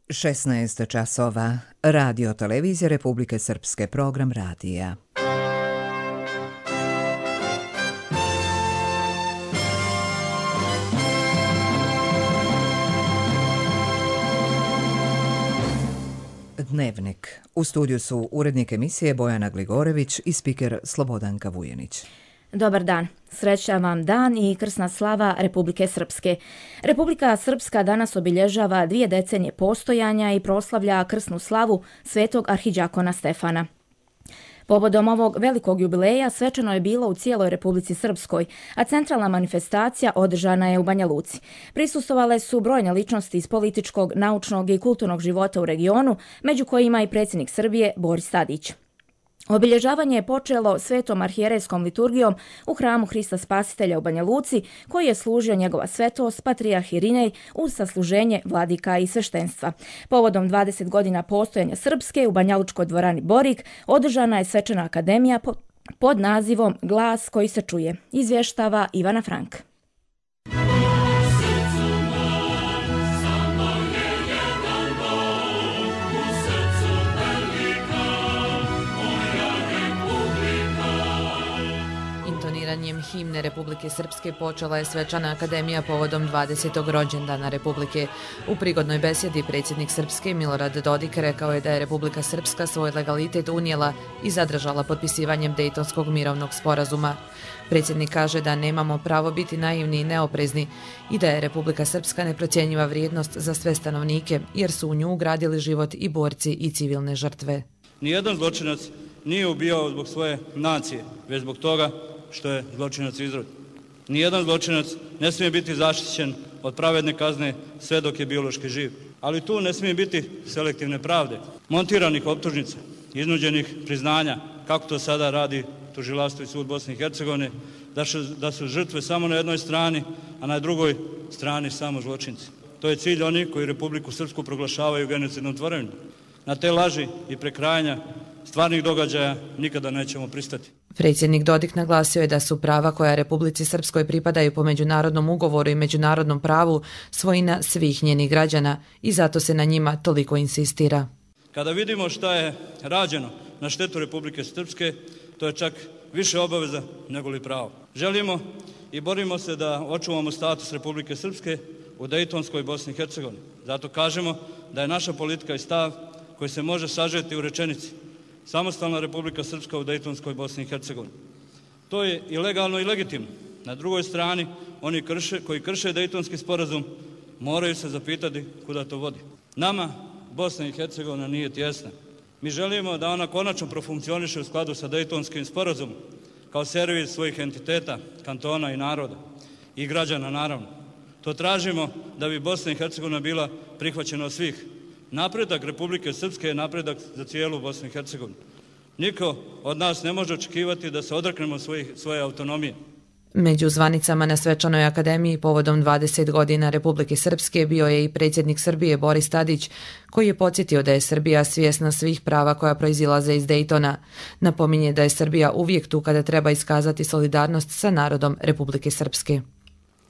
16 časova. Radio televizije Republike Srpske, program radija. Dnevnik. U studiju su urednik emisije Bojana Gligorević i spiker Slobodanka Vujenić. Dobar dan. Srećan vam dan i krsna slava Republike Srpske. Republika Srpska danas obilježava 2 decenije postojanja i proslavlja krsnu slavu svetog arhidžakona Stefana. Povodom ovog velikog jubileja svečano je bilo u cijeloj Republici Srpskoj, a centralna manifestacija održana je u Banja Luci. Prisustvovale su brojne ličnosti iz političkog, naučnog i kulturnog života u regionu, među kojima i predsjednik Srbije Boris Tadić. Obilježavanje je počelo svetom arhijerejskom liturgijom u hramu Hrista Spasitelja u Banja Luci, koji je služio njegova svetost patrijarh Irinej uz sasluženje vladika i sveštenstva. Povodom 20 godina postojanja Srpske u Banjalučkoj dvorani Borik održana je svečana akademija pod nazivom Glas koji se čuje. Izvještava Ivana Frank. Intoniranjem himne Republike Srpske počela je svečana akademija povodom 20. rođendana Republike. U prigodnoj besjedi predsjednik Srpske Milorad Dodik rekao je da je Republika Srpska svoj legalitet unijela i zadržala potpisivanjem Dejtonskog mirovnog sporazuma. Predsjednik kaže da nemamo pravo biti naivni i neoprezni i da je Republika Srpska neprocjenjiva vrijednost za sve stanovnike, jer su u nju ugradili život i borci i civilne žrtve. Nijedan zločinac nije ubijao zbog svoje nacije, već zbog toga što je zločinac izrod. Nijedan zločinac ne smije biti zaštićen od pravedne kazne sve dok je biološki živ. Ali tu ne smije biti selektivne pravde, montiranih optužnica, iznuđenih priznanja, kako to sada radi tužilaštvo i sud Bosne i Hercegovine, da su žrtve samo na jednoj strani, a na drugoj strani samo zločinci. To je cilj onih koji Republiku Srpsku proglašavaju genocidnom tvorevinom. Na te laži i prekrajanja stvarnih događaja nikada nećemo pristati. Predsjednik Dodik naglasio je da su prava koja Republici Srpskoj pripadaju po međunarodnom ugovoru i međunarodnom pravu svojina svih njenih građana i zato se na njima toliko insistira. Kada vidimo šta je rađeno na štetu Republike Srpske, to je čak više obaveza nego li pravo. Želimo i borimo se da očuvamo status Republike Srpske u Dejtonskoj Bosni i Hercegovini. Zato kažemo da je naša politika i stav koji se može sažeti u rečenici: samostalna Republika Srpska u Dejtonskoj Bosni i Hercegovini. To je i legalno i legitimno. Na drugoj strani, oni koji krše Dejtonski sporazum moraju se zapitati kuda to vodi. Nama Bosna i Hercegovina nije tjesna. Mi želimo da ona konačno profunkcioniše u skladu sa Dejtonskim sporazumom kao servis svojih entiteta, kantona i naroda i građana naravno. To tražimo da bi Bosna i Hercegovina bila prihvaćena od svih. Napredak Republike Srpske je napredak za cijelu Bosnu i Hercegovinu. Niko od nas ne može očekivati da se odreknemo svoje autonomije. Među zvanicama na svečanoj akademiji povodom 20 godina Republike Srpske bio je i predsjednik Srbije Boris Tadić, koji je podsjetio da je Srbija svjesna svih prava koja proizilaze iz Dejtona. Napominje da je Srbija uvijek tu kada treba iskazati solidarnost sa narodom Republike Srpske.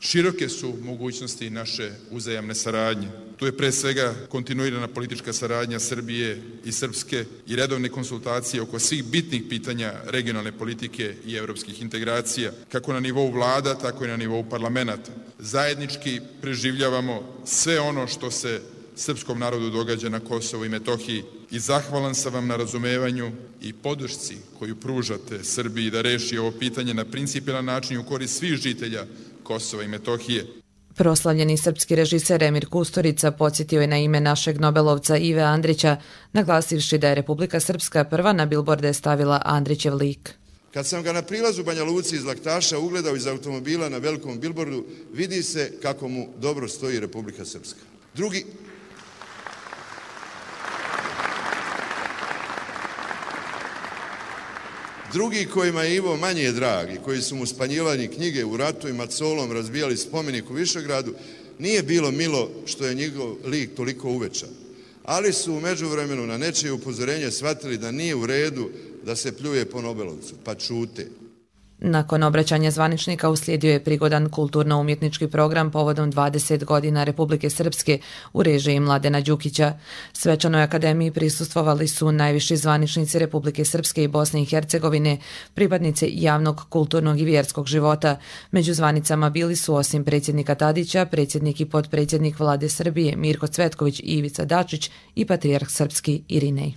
Široke su mogućnosti naše uzajamne saradnje. Tu je pre svega kontinuirana politička saradnja Srbije i Srpske i redovne konsultacije oko svih bitnih pitanja regionalne politike i evropskih integracija, kako na nivou vlada, tako i na nivou parlamenta. Zajednički preživljavamo sve ono što se srpskom narodu događa na Kosovu i Metohiji i zahvalan sam vam na razumevanju i podršci koju pružate Srbiji da reši ovo pitanje na principijelan način u korist svih žitelja Kosova i Metohije. Proslavljeni srpski režiser Emir Kusturica podsjetio je na ime našeg Nobelovca Ive Andrića, naglasivši da je Republika Srpska prva na bilborde stavila Andrićev lik. Kad sam ga na prilazu Banja Luci iz Laktaša ugledao iz automobila na velikom bilbordu, vidi se kako mu dobro stoji Republika Srpska. Drugi kojima je Ivo manje drag i koji su mu spanjivali knjige u ratu i macolom razbijali spomenik u Višegradu, nije bilo milo što je njegov lik toliko uvećan. Ali su u međuvremenu na nečije upozorenje shvatili da nije u redu da se pljuje po Nobelovcu, pa čute. Nakon obraćanja zvaničnika uslijedio je prigodan kulturno-umjetnički program povodom 20 godina Republike Srpske u režiji Mladena Đukića. Svečanoj akademiji prisustvovali su najviši zvaničnici Republike Srpske i Bosne i Hercegovine, pripadnici javnog, kulturnog i vjerskog života. Među zvanicama bili su osim predsjednika Tadića, predsjednik i potpredsjednik Vlade Srbije Mirko Cvetković i Ivica Dačić i patrijarh srpski Irinej.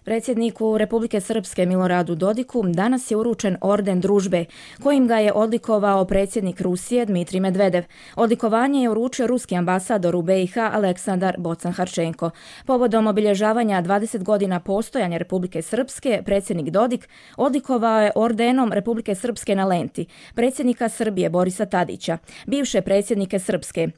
Predsjedniku Republike Srpske Miloradu Dodiku danas je uručen orden družbe, kojim ga je odlikovao predsjednik Rusije Dmitrij Medvedev. Odlikovanje je uručio ruski ambasador u BiH Aleksandar Bocan-Harčenko. Povodom obilježavanja 20 godina postojanja Republike Srpske, predsjednik Dodik odlikovao je ordenom Republike Srpske na lenti predsjednika Srbije Borisa Tadića, bivše predsjednike Srpske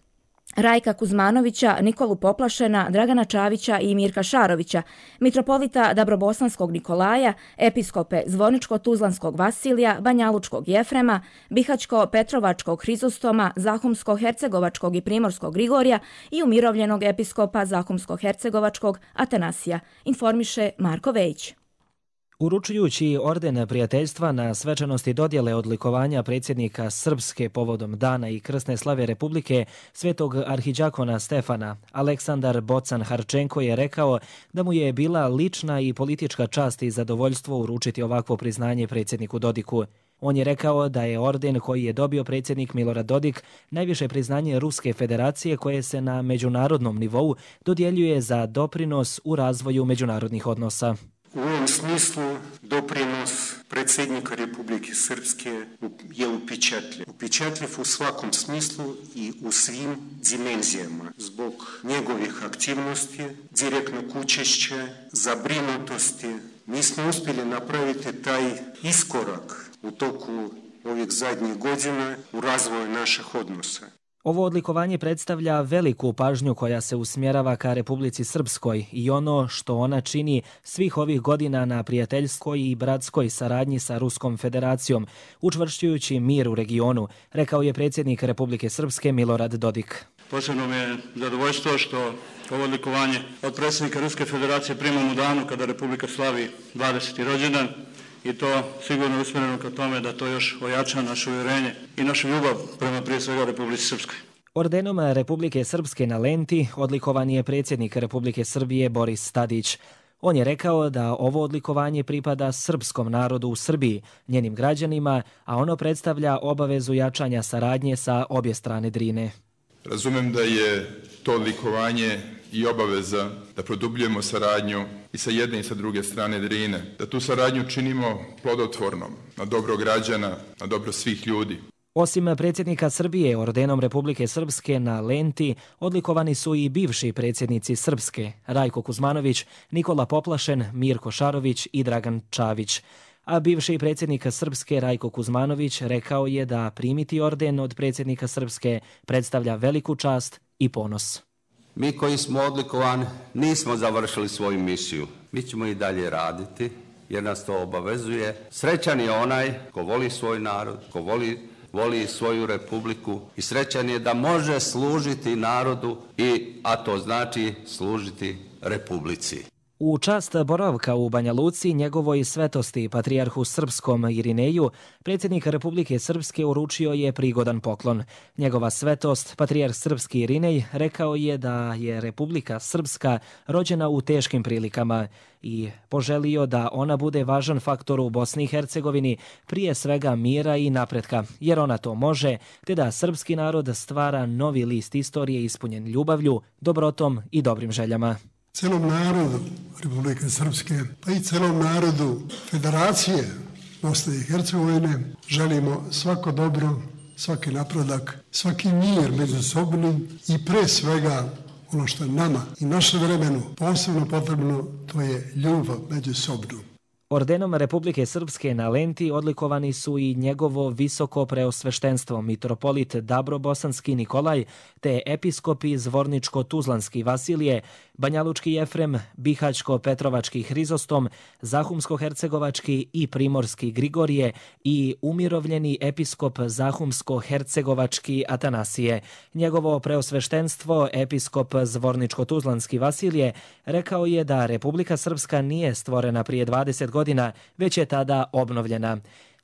Rajka Kuzmanovića, Nikolu Poplašena, Dragana Čavića i Mirka Šarovića, mitropolita Dabrobosanskog Nikolaja, episkope Zvorničko-Tuzlanskog Vasilija, Banjalučkog Jefrema, Bihaćko-Petrovačkog Hrizostoma, Zahumsko-Hercegovačkog i Primorskog Grigorija i umirovljenog episkopa Zahumsko-Hercegovačkog Atanasija, informiše Marko Vejić. Uručujući orden prijateljstva na svečanosti dodjele odlikovanja predsjednika Srpske povodom dana i krsne slave Republike svetog arhidžakona Stefana, Aleksandar Bocan-Harčenko je rekao da mu je bila lična i politička čast i zadovoljstvo uručiti ovakvo priznanje predsjedniku Dodiku. On je rekao da je orden koji je dobio predsjednik Milorad Dodik najviše priznanje Ruske federacije koje se na međunarodnom nivou dodjeljuje za doprinos u razvoju međunarodnih odnosa. U ovom smislu doprinos predsjednika Republike Srpske je upečatljiv. Upečatljiv u svakom smislu i u svim dimenzijama. Zbog njegovih aktivnosti, direktnog učešća, zabrinutosti, mi smo uspjeli napraviti taj iskorak u toku ovih zadnjih godina u razvoju naših odnosa. Ovo odlikovanje predstavlja veliku pažnju koja se usmjerava ka Republici Srpskoj i ono što ona čini svih ovih godina na prijateljskoj i bratskoj saradnji sa Ruskom federacijom, učvršćujući mir u regionu, rekao je predsjednik Republike Srpske Milorad Dodik. Posebno mi je zadovoljstvo što ovo odlikovanje od predsjednika Ruske federacije primam u danu kada Republika slavi 20. rođendan. I to sigurno usmjereno ka tome da to još ojača naše uvjerenje i našu ljubav prema prije svega Republici Srpskoj. Ordenom Republike Srpske na lenti odlikovan je predsjednik Republike Srbije Boris Tadić. On je rekao da ovo odlikovanje pripada srpskom narodu u Srbiji, njenim građanima, a ono predstavlja obavezu jačanja saradnje sa obje strane Drine. Razumem da je to odlikovanje i obaveza da produbljujemo saradnju i sa jedne i sa druge strane Drine, da tu saradnju činimo plodotvornom, na dobro građana, na dobro svih ljudi. Osim predsjednika Srbije, ordenom Republike Srpske na lenti odlikovani su i bivši predsjednici Srpske, Rajko Kuzmanović, Nikola Poplašen, Mirko Šarović i Dragan Čavić. A bivši predsjednik Srpske Rajko Kuzmanović rekao je da primiti orden od predsjednika Srpske predstavlja veliku čast i ponos. Mi koji smo odlikovani nismo završili svoju misiju. Mi ćemo i dalje raditi jer nas to obavezuje. Srećan je onaj ko voli svoj narod, ko voli svoju republiku i srećan je da može služiti narodu, a to znači služiti republici. U čast boravka u Banja Luci njegovoj svetosti patrijarhu srpskom Irineju, predsjednik Republike Srpske uručio je prigodan poklon. Njegova svetost, patrijarh srpski Irinej, rekao je da je Republika Srpska rođena u teškim prilikama i poželio da ona bude važan faktor u Bosni i Hercegovini, prije svega mira i napretka, jer ona to može, te da srpski narod stvara novi list istorije ispunjen ljubavlju, dobrotom i dobrim željama. Celom narodu Republike Srpske, pa i celom narodu Federacije Bosne i Hercegovine želimo svako dobro, svaki napredak, svaki mir međusobni i pre svega ono što je nama i našem vremenu posebno potrebno, to je ljubav međusobnu. Ordenom Republike Srpske na lenti odlikovani su i njegovo visoko preosveštenstvo mitropolit Dabrobosanski Nikolaj te episkopi Zvorničko-Tuzlanski Vasilije, Banjalučki Jefrem, Bihaćko-Petrovački Hrizostom, Zahumsko-Hercegovački i Primorski Grigorije i umirovljeni episkop Zahumsko-Hercegovački Atanasije. Njegovo preosveštenstvo, episkop Zvorničko-Tuzlanski Vasilije, rekao je da Republika Srpska nije stvorena prije 20 godina, već je tada obnovljena.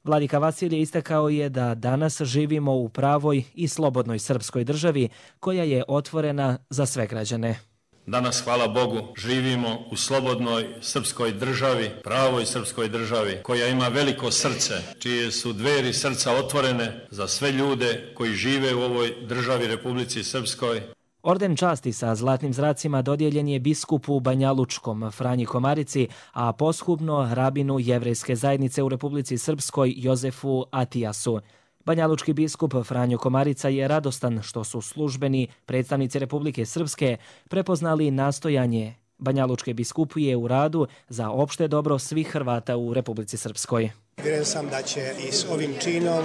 Vladika Vasilije istakao je da danas živimo u pravoj i slobodnoj srpskoj državi koja je otvorena za sve građane. Danas, hvala Bogu, živimo u slobodnoj srpskoj državi, pravoj srpskoj državi, koja ima veliko srce, čije su dveri srca otvorene za sve ljude koji žive u ovoj državi Republici Srpskoj. Orden časti sa zlatnim zracima dodijeljen je biskupu Banjalučkom Franji Komarici, a poshubno rabinu jevrejske zajednice u Republici Srpskoj Jozefu Atijasu. Banjalučki biskup Franjo Komarica je radostan što su službeni predstavnici Republike Srpske prepoznali nastojanje Banjalučke biskupije u radu za opšte dobro svih Hrvata u Republici Srpskoj. Vjerujem sam da će i s ovim činom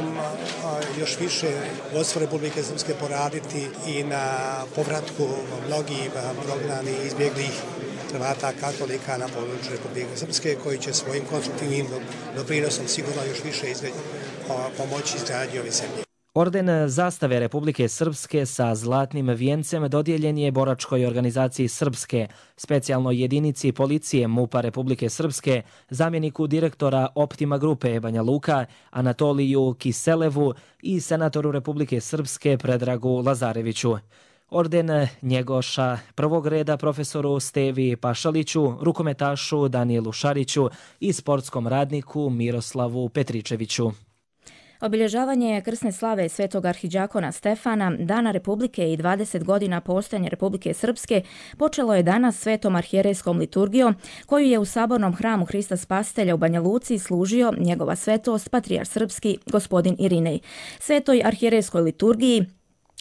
još više vodstvo Republike Srpske poraditi i na povratku mnogih prognanih i izbjeglih Hrvata katolika na području Republike Srpske, koji će svojim konstruktivnim doprinosom sigurno još više pomoći izgradnji ove zemlje. Orden zastave Republike Srpske sa zlatnim vijencem dodijeljen je boračkoj organizaciji Srpske, specijalnoj jedinici policije MUP-a Republike Srpske, zamjeniku direktora Optima grupe Banja Luka, Anatoliju Kiselevu i senatoru Republike Srpske Predragu Lazareviću. Orden Njegoša prvog reda profesoru Stevi Pašaliću, rukometašu Danielu Šariću i sportskom radniku Miroslavu Petričeviću. Obilježavanje krsne slave svetog arhidžakona Stefana, Dana Republike i 20 godina postojanja Republike Srpske počelo je danas svetom arhijerejskom liturgijom koju je u sabornom hramu Hrista Spasitelja u Banja Luci služio njegova svetost patrijarh srpski gospodin Irinej. Svetoj arhijerejskoj liturgiji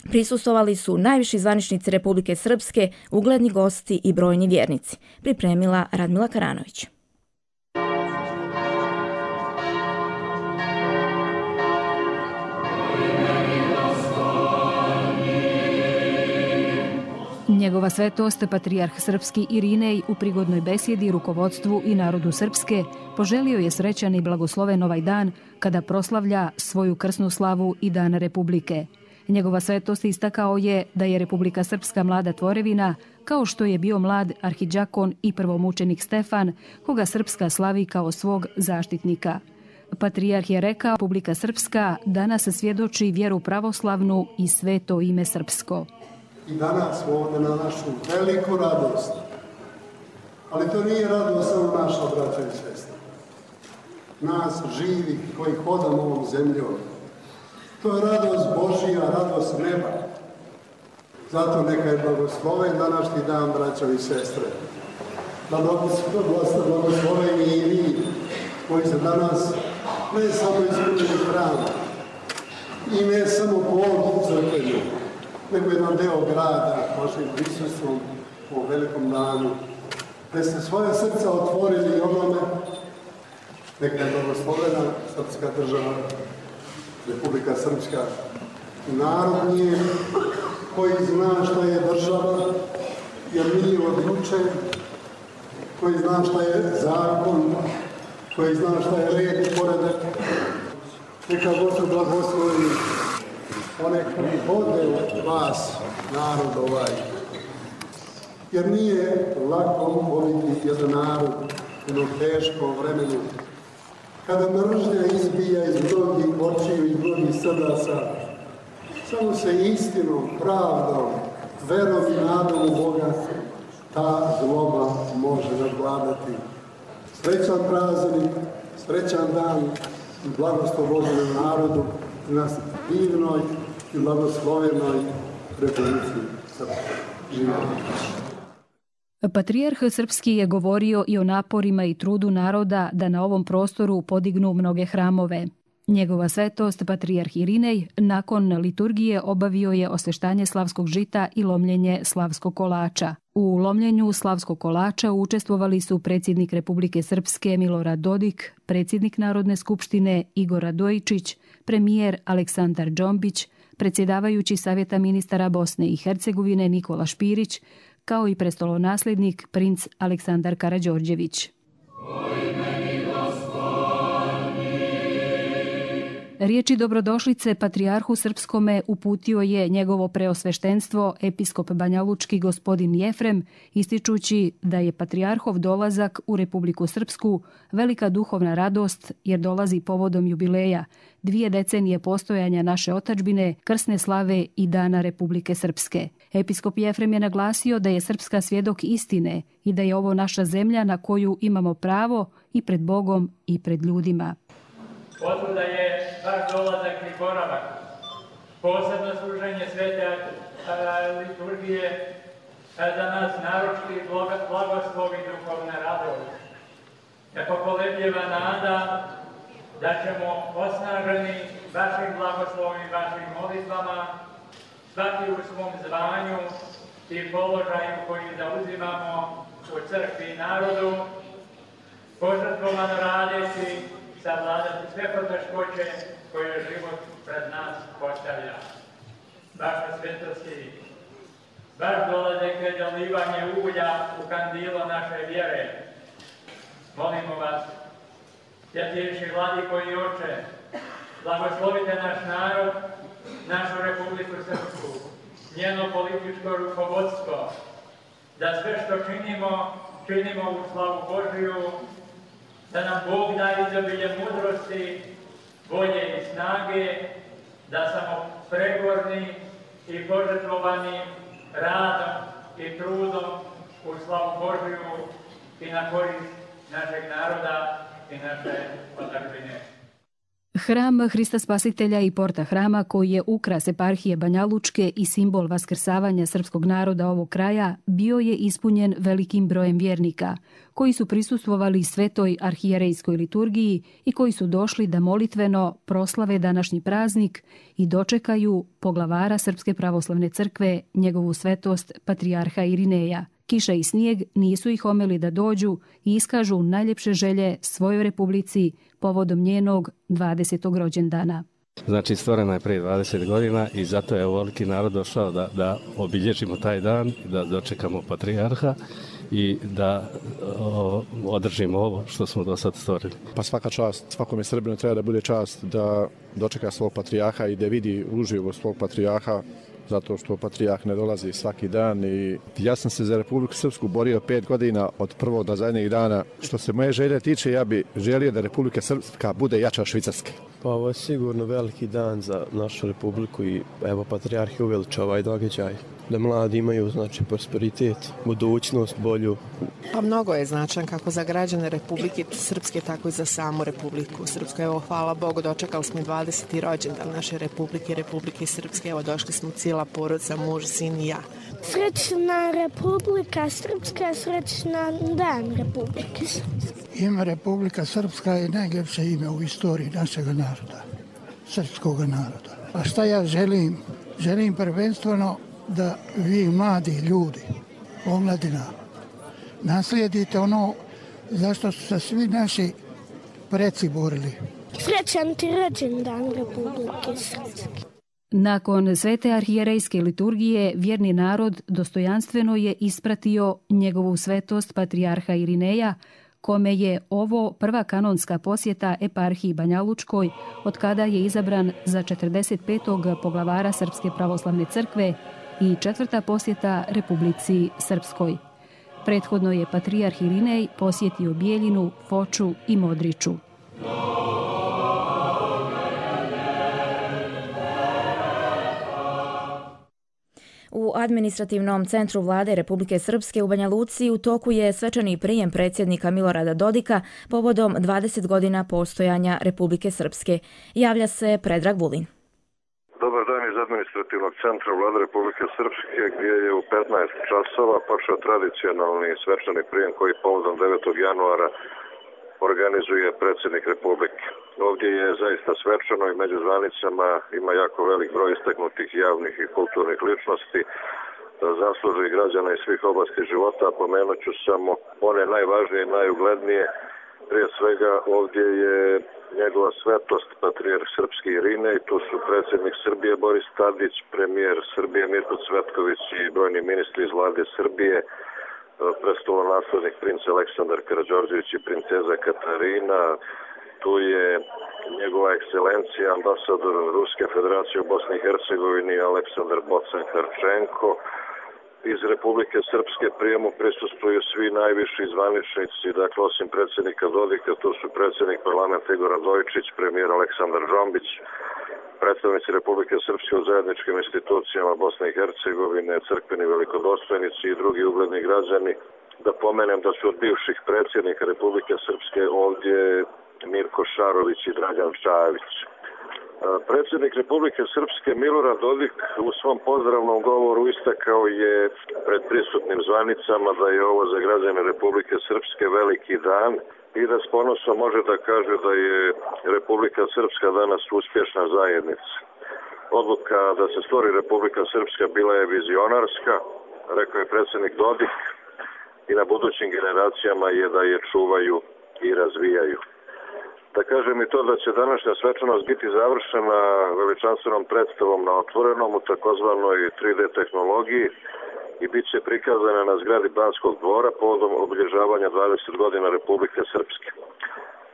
prisustvovali su najviši zvaničnici Republike Srpske, ugledni gosti i brojni vjernici. Pripremila Radmila Karanović. Njegova svetost, patrijarh srpski Irinej, u prigodnoj besjedi rukovodstvu i narodu Srpske poželio je srećan i blagosloven ovaj dan kada proslavlja svoju krsnu slavu i Dan Republike. Njegova svetost istakao je da je Republika Srpska mlada tvorevina, kao što je bio mlad arhidžakon i prvomučenik Stefan, koga Srpska slavi kao svog zaštitnika. Patrijarh je rekao, Republika Srpska danas svjedoči vjeru pravoslavnu i sveto ime srpsko. I danas ovdje na našu veliku radost. Ali to nije radost samo naša, braća i sestre. Nas živih koji hodamo ovom zemljom. To je radost Božija, radost neba. Zato neka je blagosloven današnji dan, braća i sestre. Da blagosloveni i vi koji se danas ne samo ispunili hram i ne samo povod crkvenju, nego jedan deo grada vašim prisustvom u velikom danu, da ste svoje srca otvorili onome, neka je blagoslovena srpska država, Republika Srpska, narod njen koji zna šta je država, je mi odlučen, koji zna šta je zakon, koji zna šta je red i poredak. Neka Gospod blagoslovi one koji vode od vas, narod ovaj. Jer nije lako voditi jedan narod u jednom teškom vremenu, kada mržnja izbija iz mnogih očiju i mnogih srdaca. Samo se istinom, pravdom, verom i nadom u Boga ta zloba može nadvladati. Srećan praznik, srećan dan i blagoslov Božjem narodu na divnoj i blagoslovenoj Republici Srpskoj. Živjeli. Patrijarh srpski je govorio i o naporima i trudu naroda da na ovom prostoru podignu mnoge hramove. Njegova svetost, patrijarh Irinej, nakon liturgije obavio je osveštanje slavskog žita i lomljenje slavskog kolača. U lomljenju slavskog kolača učestvovali su predsjednik Republike Srpske Milorad Dodik, predsjednik Narodne skupštine Igor Radojičić, premijer Aleksandar Džombić, predsjedavajući Savjeta ministara Bosne i Hercegovine Nikola Špirić, kao i prestolonasljednik princ Aleksandar Karađorđević. Riječi dobrodošlice patrijarhu srpskome uputio je njegovo preosveštenstvo episkop banjalučki gospodin Jefrem, ističući da je patrijarhov dolazak u Republiku Srpsku velika duhovna radost jer dolazi povodom jubileja, 2 decenije postojanja naše otadžbine, krsne slave i Dana Republike Srpske. Episkop Jefrem je naglasio da je Srpska svjedok istine i da je ovo naša zemlja na koju imamo pravo i pred Bogom i pred ljudima. Otuda je vaš dolazak i boravak, posebno služenje svete liturgije za nas naročiti blagoslov i duhovna radost. Kako kolebljeva nada da ćemo osnaženi vašim blagoslovom i vašim molitvama svaki u svom zvanju i položaju koji zauzimamo u crkvi i narodu, požrtvovano radeći savladati sve poteškoće koje život pred nas postavlja. Vaša svetosti, vaš dolazak je dolivanje ulja u kandilo naše vjere. Molimo vas, svjetejši vladiko i oče, blagoslovite naš narod, našu Republiku Srpsku, njeno političko rukovodstvo, da sve što činimo u slavu Božiju, da nam Bog da izobilje mudrosti, volje i snage, da samo pregorni i požrtvovani radom i trudom u slavu Božiju i na korist našeg naroda i naše otadžbine. Hram Hrista Spasitelja i porta hrama, koji je ukras eparhije Banjalučke i simbol vaskrsavanja srpskog naroda ovog kraja, bio je ispunjen velikim brojem vjernika, koji su prisustvovali svetoj arhijerejskoj liturgiji i koji su došli da molitveno proslave današnji praznik i dočekaju poglavara Srpske pravoslavne crkve, njegovu svetost patrijarha Irineja. Kiša i snijeg nisu ih omeli da dođu i iskažu najljepše želje svojoj republici povodom njenog 20. rođendana. Znači, stvorena je prije 20 godina i zato je ovoliki narod došao da obilježimo taj dan, da dočekamo patrijarha i da održimo ovo što smo do sad stvorili. Pa svaka čast, svakome Srbinu treba da bude čast da dočeka svog patrijarha i da vidi uživo svog patrijarha, zato što patrijarh ne dolazi svaki dan i ja sam se za Republiku Srpsku borio 5 godina od prvog do zadnjeg dana. Što se moje želje tiče, ja bi želio da Republika Srpska bude jača od Švicarske. Pa ovo je sigurno veliki dan za našu republiku i evo patrijarh je uveličao ovaj događaj. Da mladi imaju znači prosperitet, budućnost bolju. Pa mnogo je značan kako za građane Republike Srpske, tako i za samu Republiku Srpsku. Evo, hvala Bogu, dočekali smo 20. rođendan naše Republike Srpske. Evo, došli smo cijela porodica, muž, sin i ja. Srećna Republika Srpska, srećna dan Republike Srpske. Ime Republika Srpska je najljepše ime u istoriji našeg naroda, srpskog naroda. A šta ja želim? Želim prvenstveno da vi mladi ljudi, omladina, naslijedite ono zašto su se svi naši preci borili. Srećan ti rođendan Republike Srpske. Nakon svete arhijerejske liturgije, vjerni narod dostojanstveno je ispratio njegovu svetost patrijarha Irineja, kome je ovo prva kanonska posjeta eparhiji Banjalučkoj od kada je izabran za 45. poglavara Srpske pravoslavne crkve i 4. posjeta Republici Srpskoj. Prethodno je patrijarh Irinej posjetio Bijeljinu, Foču i Modriču. U administrativnom centru vlade Republike Srpske u Banja Luci u toku je svečani prijem predsjednika Milorada Dodika povodom 20 godina postojanja Republike Srpske. Javlja se Predrag Vulin. Dobar dan iz administrativnog centra vlade Republike Srpske gdje je u 15 časova počeo tradicionalni svečani prijem koji povodom 9. januara organizuje predsjednik Republike. Ovdje je zaista svečano i među zvanicama ima jako velik broj istaknutih javnih i kulturnih ličnosti, zaslužnih građana iz svih oblasti života. Pomenut ću samo one najvažnije i najuglednije. Prije svega ovdje je njegova svetost patrijarh srpski Irinej, tu su predsjednik Srbije Boris Tadić, premijer Srbije Mirko Cvetković i brojni ministri iz vlade Srbije, prestolonaslednik princ Aleksandar Karađorđević i princeza Katarina, Tu je njegova ekscelencija, ambasador Ruske federacije u Bosni i Hercegovini Aleksandar Bocan-Harčenko. Iz Republike Srpske prijemu prisustvuju svi najviši zvaničnici, dakle osim predsjednika Dodika, tu su predsjednik parlamenta Igor Radojičić, premijer Aleksandar Džombić, predstavnici Republike Srpske u zajedničkim institucijama Bosne i Hercegovine, crkveni velikodostojnici i drugi ugledni građani. Da pomenem da su od bivših predsjednika Republike Srpske ovdje Mirko Šarović i Dragan Šajević. Predsjednik Republike Srpske Milorad Dodik u svom pozdravnom govoru istakao je pred prisutnim zvanicama da je ovo za građane Republike Srpske veliki dan i da s ponosom može da kaže da je Republika Srpska danas uspješna zajednica. Odluka da se stvori Republika Srpska bila je vizionarska, rekao je predsjednik Dodik, i na budućim generacijama je da je čuvaju i razvijaju. Da kažem i to da će današnja svečanost biti završena veličanstvenom predstavom na otvorenom u takozvanoj 3D tehnologiji i bit će prikazana na zgradi Banskog dvora povodom obilježavanja 20 godina Republike Srpske.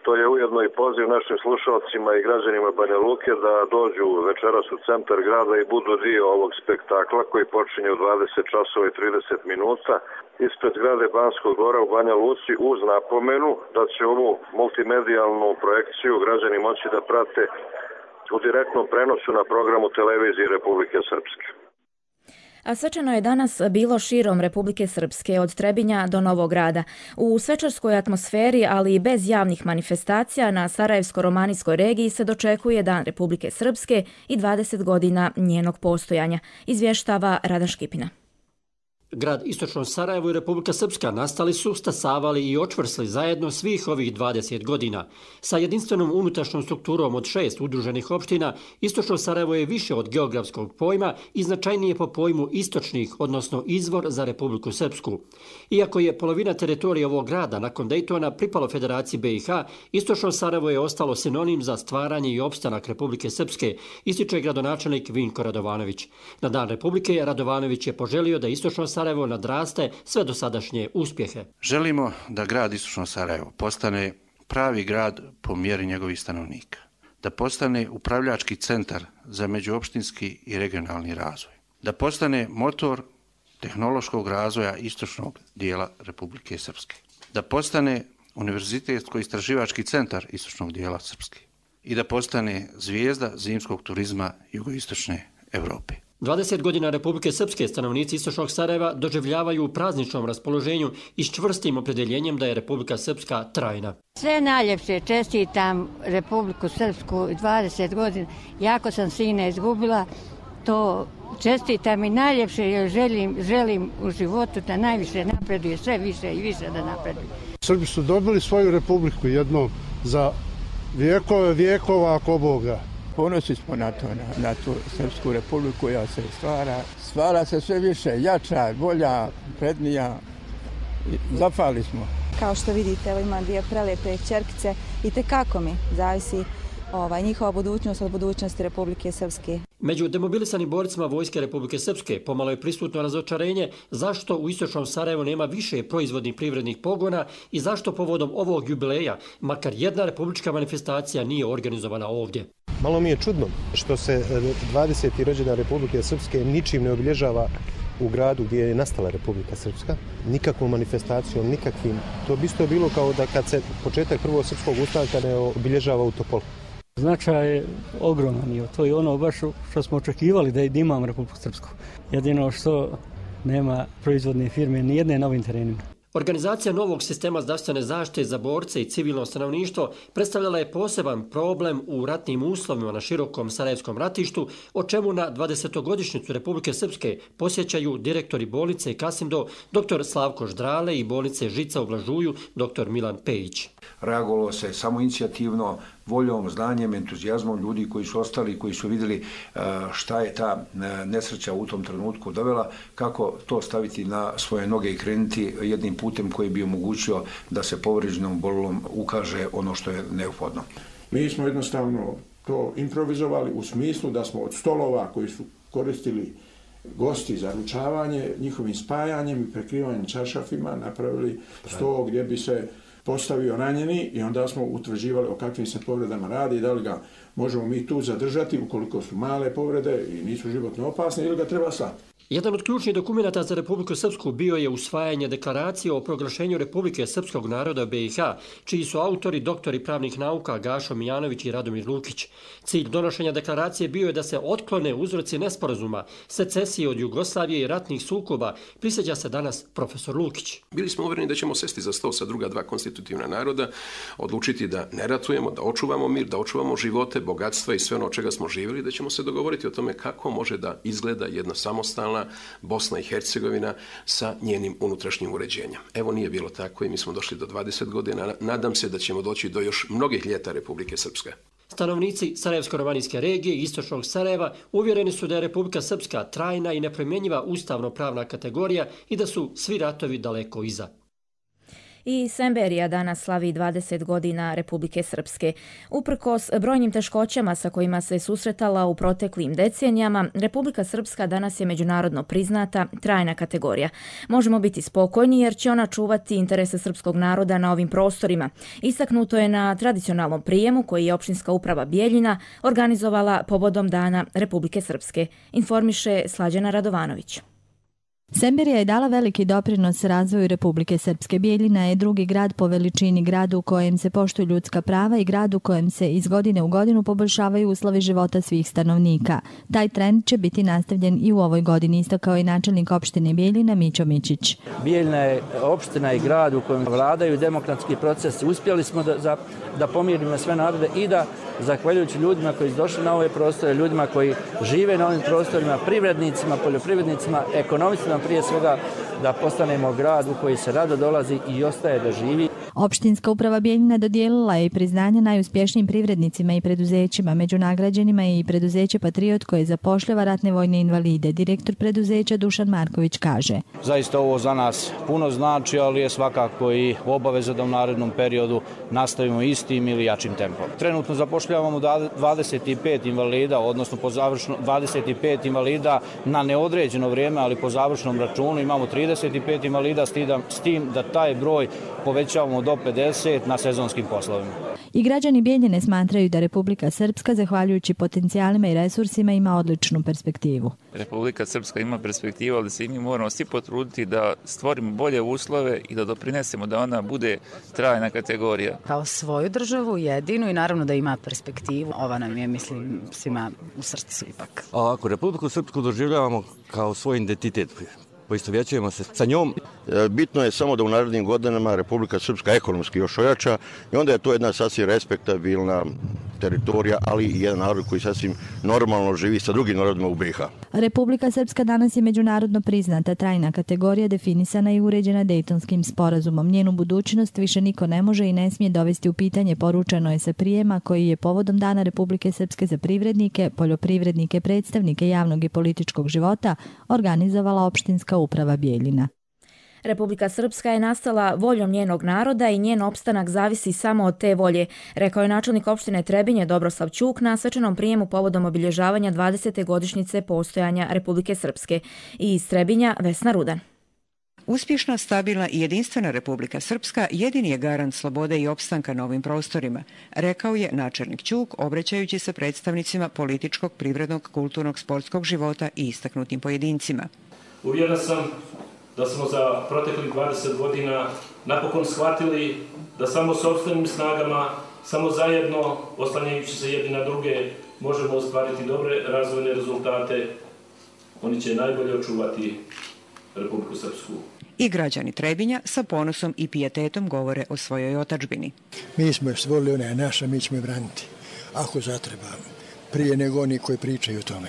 To je ujedno i poziv našim slušalcima i građanima Banja Luke da dođu večeras u centar grada i budu dio ovog spektakla koji počinje u 20 časova i 30 minuta ispred zgrade Banskog dvora u Banja Luci, uz napomenu da će ovu multimedijalnu projekciju građani moći da prate u direktnom prenosu na programu televizije Republike Srpske. A svečano je danas bilo širom Republike Srpske, od Trebinja do Novog Grada. U svečarskoj atmosferi, ali i bez javnih manifestacija, na Sarajevsko-romanijskoj regiji se dočekuje Dan Republike Srpske i 20 godina njenog postojanja, izvještava Rada Škipina. Grad Istočno Sarajevo i Republika Srpska nastali su, stasavali i očvrsli zajedno svih ovih 20 godina. Sa jedinstvenom unutrašnjom strukturom od 6 udruženih opština, Istočno Sarajevo je više od geografskog pojma i značajnije po pojmu istočnih, odnosno izvor za Republiku Srpsku. Iako je polovina teritorije ovog grada nakon Dejtona pripalo Federaciji BiH, Istočno Sarajevo je ostalo sinonim za stvaranje i opstanak Republike Srpske, ističe gradonačelnik Vinko Radovanović. Na Dan Republike Radovanović je poželio da Istočno Sarajevo nadraste sve dosadašnje uspjehe. Želimo da grad Istočno Sarajevo postane pravi grad po mjeri njegovih stanovnika, da postane upravljački centar za međuopštinski i regionalni razvoj, da postane motor tehnološkog razvoja istočnog dijela Republike Srpske, da postane univerzitetsko-istraživački centar istočnog dijela Srpske i da postane zvijezda zimskog turizma jugoistočne Europe. 20 godina Republike Srpske stanovnici Istočnog Sarajeva doživljavaju u prazničnom raspoloženju i s čvrstim opredjeljenjem da je Republika Srpska trajna. Sve najljepše čestitam Republiku Srpsku 20 godina. Jako sam sina izgubila, to čestitam i najljepše jer želim u životu da najviše napreduje, sve više i više da napreduje. Srbi su dobili svoju republiku jednom za vijekova ako Boga. Ponosni smo na tu Srpsku republiku koja se stvara se sve više, jača, bolja, prednija. Zafali smo. Kao što vidite, evo imam dvije prelijepe ćerkice i tekako mi zavisi njihova budućnost od budućnosti Republike Srpske. Među demobilisanim borcima Vojske Republike Srpske pomalo je prisutno razočarenje zašto u Istočnom Sarajevu nema više proizvodnih privrednih pogona i zašto povodom ovog jubileja makar jedna republička manifestacija nije organizovana ovdje. Malo mi je čudno što se 20. rođendan Republike Srpske ničim ne obilježava u gradu gdje je nastala Republika Srpska, nikakvom manifestacijom, nikakvim. To bi isto bilo kao da kad se početak prvog srpskog ustanka ne obilježava u Topolu. Značaj je ogroman, to je ono baš što smo očekivali da imamo Republiku Srpsku. Jedino što nema proizvodne firme ni jedne na ovim terenima. Organizacija novog sistema zdravstvene zaštite za borce i civilno stanovništvo predstavljala je poseban problem u ratnim uslovima na širokom sarajevskom ratištu, o čemu na 20-godišnjicu Republike Srpske posjećaju direktori bolnice Kasimdo, dr. Slavko Ždrale i bolnice Žica u Blažuju, dr. Milan Pejić. Reagovalo se samoinicijativno, voljom, znanjem, entuzijazmom ljudi koji su ostali, koji su vidjeli šta je ta nesreća u tom trenutku dovela, kako to staviti na svoje noge i krenuti jednim putem koji bi omogućio da se povrijeđenom bolom ukaže ono što je neophodno. Mi smo jednostavno to improvizovali u smislu da smo od stolova koji su koristili gosti za ručavanje, njihovim spajanjem i prekrivanjem čaršafima napravili sto gdje bi se postavio ranjeni i onda smo utvrđivali o kakvim se povredama radi, da li ga možemo mi tu zadržati ukoliko su male povrede i nisu životno opasne ili ga treba slati. Jedan od ključnih dokumenata za Republiku Srpsku bio je usvajanje deklaracije o proglašenju Republike Srpskog naroda BiH, čiji su autori doktori pravnih nauka Gašo Mijanović i Radomir Lukić. Cilj donošenja deklaracije bio je da se otklone uzroci nesporazuma, secesije od Jugoslavije i ratnih sukoba, prisjeća se danas profesor Lukić. Bili smo uvjereni da ćemo sesti za sto sa druga dva konstitutivna naroda, odlučiti da ne ratujemo, da očuvamo mir, da očuvamo živote, bogatstva i sve ono od čega smo živjeli, da ćemo se dogovoriti o tome kako može da izgleda jedna samostalna Bosna i Hercegovina sa njenim unutrašnjim uređenjem. Evo nije bilo tako i mi smo došli do 20 godina. Nadam se da ćemo doći do još mnogih ljeta Republike Srpske. Stanovnici Sarajevsko-Rovanijske regije i istočnog Sarajeva uvjereni su da je Republika Srpska trajna i nepromjenjiva ustavno-pravna kategorija i da su svi ratovi daleko iza. I Semberija danas slavi 20 godina Republike Srpske. Uprkos brojnim teškoćama sa kojima se susretala u proteklim decenijama, Republika Srpska danas je međunarodno priznata trajna kategorija. Možemo biti spokojni jer će ona čuvati interese srpskog naroda na ovim prostorima. Istaknuto je na tradicionalnom prijemu koji je opštinska uprava Bijeljina organizovala povodom Dana Republike Srpske, informiše Slađana Radovanović. Semberija je dala veliki doprinos razvoju Republike Srpske. Bijeljina je drugi grad po veličini, grad u kojem se poštuju ljudska prava i grad u kojem se iz godine u godinu poboljšavaju uslovi života svih stanovnika. Taj trend će biti nastavljen i u ovoj godini, istakao je načelnik opštine Bijeljina Mićo Mičić. Bijeljina je opština i grad u kojem vladaju demokratski procesi. Uspjeli smo da pomirimo sve narode i da, zahvaljujući ljudima koji su došli na ove prostore, ljudima koji žive na ovim prostorima, privrednicima, poljoprivrednicima, ekonomistima prije svega, da postanemo grad u koji se rado dolazi i ostaje da živi. Opštinska uprava Bijeljina dodijelila je priznanje najuspješnijim privrednicima i preduzećima. Među nagrađenima je i preduzeće Patriot koje zapošljava ratne vojne invalide. Direktor preduzeća Dušan Marković kaže: Zaista ovo za nas puno znači, ali je svakako i obaveza da u narednom periodu nastavimo istim ili jačim tempom. Trenutno zapošljavamo 25 invalida, odnosno po završnom 25 invalida na neodređeno vrijeme, ali po završnom računu imamo 35 invalida, s tim da taj broj povećavamo do 50 na sezonskim poslovima. I građani Bijeljine smatraju da Republika Srpska, zahvaljujući potencijalima i resursima, ima odličnu perspektivu. Republika Srpska ima perspektivu, ali se i mi moramo svi potruditi da stvorimo bolje uslove i da doprinesemo da ona bude trajna kategorija. Kao svoju državu jedinu i naravno da ima perspektivu. Ova nam je, mislim, svima u srcu ipak. Ako Republiku Srpsku doživljavamo kao svoj identitet, poistovjećujemo se sa njom. Bitno je samo da u narednim godinama Republika Srpska ekonomski još ojača i onda je to jedna sasvim respektabilna teritorija, ali i jedan narod koji sasvim normalno živi sa drugim narodima u BiH. Republika Srpska danas je međunarodno priznata trajna kategorija, definisana i uređena Dejtonskim sporazumom. Njenu budućnost više niko ne može i ne smije dovesti u pitanje, poručeno je sa prijema koji je povodom Dana Republike Srpske za privrednike, poljoprivrednike, predstavnike javnog i političkog života organizovala opštinska uprava Bijeljina. Republika Srpska je nastala voljom njenog naroda i njen opstanak zavisi samo od te volje, rekao je načelnik opštine Trebinje Dobroslav Ćuk na svečanom prijemu povodom obilježavanja 20. godišnjice postojanja Republike Srpske. I iz Trebinja Vesna Rudan. Uspješna, stabilna i jedinstvena Republika Srpska jedini je garant slobode i opstanka na ovim prostorima, rekao je načelnik Ćuk, obraćajući se predstavnicima političkog, privrednog, kulturnog, sportskog života i istaknutim pojedincima. Uvjeren sam da smo za proteklih 20 godina napokon shvatili da samo sopstvenim snagama, samo zajedno, oslanjajući se jedni na druge, možemo ostvariti dobre razvojne rezultate. Oni će najbolje očuvati Republiku Srpsku. I građani Trebinja sa ponosom i pijetetom govore o svojoj otadžbini. Mi smo je stvorili, ona je naša, mi ćemo je braniti, ako zatreba, prije nego oni koji pričaju o tome.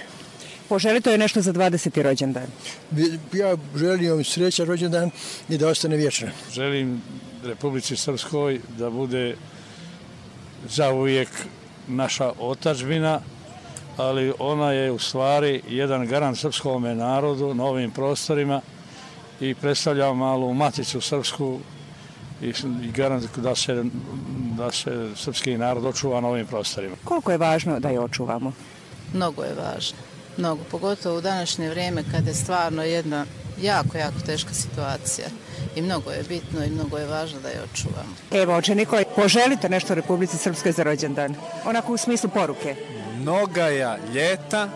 Poželite je nešto za 20. rođendan? Ja želim joj srećan rođendan i da ostane vječna. Želim Republici Srpskoj da bude zauvijek naša otadžbina, ali ona je u stvari jedan garant srpskom narodu na ovim prostorima i predstavlja malu maticu srpsku i garant da se srpski narod očuva na ovim prostorima. Koliko je važno da je očuvamo? Mnogo je važno. Mnogo, pogotovo u današnje vrijeme kada je stvarno jedna jako teška situacija. i mnogo je bitno i mnogo je važno da je očuvamo. Evo, oče Nikolaj, poželite nešto Republici Srpskoj za rođendan? Onako u smislu poruke. Mnogaja ljeta,